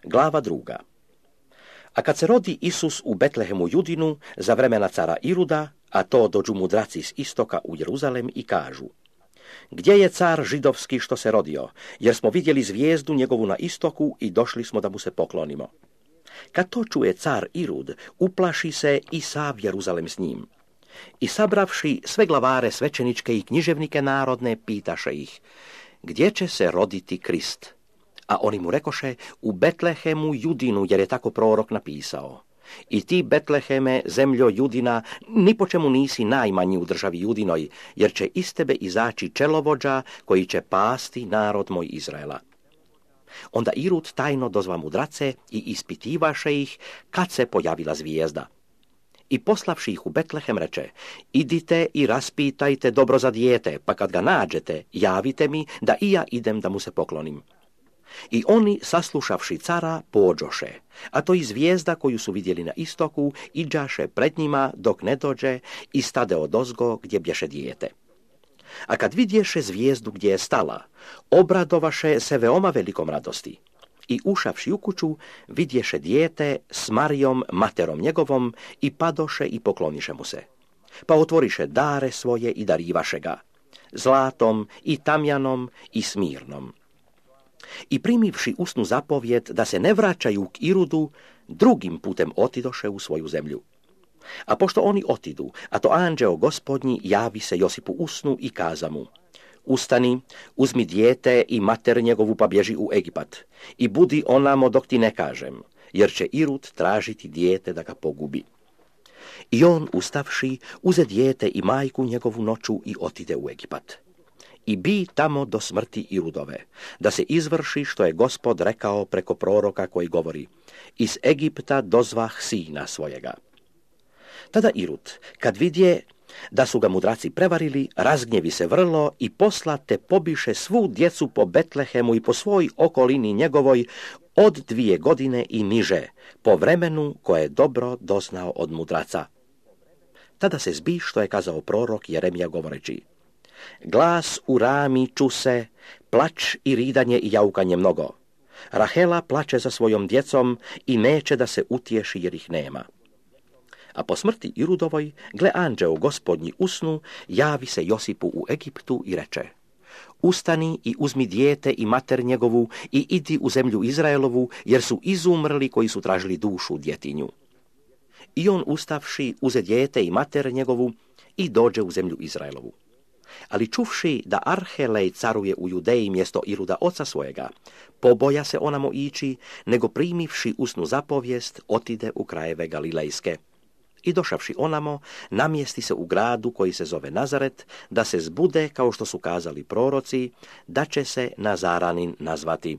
Glava 2. A kad se rodi Isus u Betlehemu Judinu za vremena cara Iruda, a to dođu mudraci s istoka u Jeruzalem i kažu: Gdje je car židovski što se rodio, jer smo vidjeli zvijezdu njegovu na istoku i došli smo da mu se poklonimo. Kad to čuje car Irud, uplaši se i sav Jeruzalem s njim. I sabravši sve glavare svećeničke i književnike narodne, pitaše ih: Gdje će se roditi Krist? A oni mu rekoše: U Betlehemu Judinu, jer je tako prorok napisao. I ti, Betleheme, zemljo Judina, ni po čemu nisi najmanji u državi Judinoj, jer će iz tebe izaći čelovođa koji će pasti narod moj Izraela. Onda Irud tajno dozva mudrace i ispitivaše ih kad se pojavila zvijezda. I poslavši ih u Betlehem reče: Idite i raspitajte dobro za dijete, pa kad ga nađete, javite mi da i ja idem da mu se poklonim. I oni, saslušavši cara, pođoše, a to i zvijezda koju su vidjeli na istoku, iđaše pred njima dok ne dođe i stade odozgo gdje bješe dijete. A kad vidješe zvijezdu gdje je stala, obradovaše se veoma velikom radosti. I ušavši u kuću, vidješe dijete s Marijom, materom njegovom, i padoše i pokloniše mu se. Pa otvoriše dare svoje i darivaše ga, zlatom i tamjanom i smirnom. I primivši usnu zapovjed da se ne vraćaju k Irudu, drugim putem otidoše u svoju zemlju. A pošto oni otidu, a to anđeo gospodnji javi se Josipu usnu i kaza mu: Ustani, uzmi dijete i mater njegovu pa bježi u Egipat i budi onamo dok ti ne kažem, jer će Irud tražiti dijete da ga pogubi. I on, ustavši, uze dijete i majku njegovu noću i otide u Egipat. I bi tamo do smrti Irudove, da se izvrši što je Gospod rekao preko proroka koji govori: Iz Egipta dozvah sina svojega. Tada Irud, kad vidje da su ga mudraci prevarili, razgnjevi se vrlo i poslate pobiše svu djecu po Betlehemu i po svoj okolini njegovoj od 2 godine i niže, po vremenu koje je dobro doznao od mudraca. Tada se zbi što je kazao prorok Jeremija govoreći: Glas u Rami čuse, plač i ridanje i jaukanje mnogo. Rahela plače za svojom djecom i neće da se utješi jer ih nema. A po smrti Irudovoj, gle, anđeo gospodnji usnu, javi se Josipu u Egiptu i reče: Ustani i uzmi dijete i mater njegovu i idi u zemlju Izraelovu, jer su izumrli koji su tražili dušu djetinju. I on, ustavši, uze dijete i mater njegovu i dođe u zemlju Izraelovu. Ali čuvši da Arhelej caruje u Judeji mjesto Iruda oca svojega, poboja se onamo ići, nego primivši usnu zapovijest, otide u krajeve Galilejske. I došavši onamo, namjesti se u gradu koji se zove Nazaret, da se zbude, kao što su kazali proroci, da će se Nazaranin nazvati.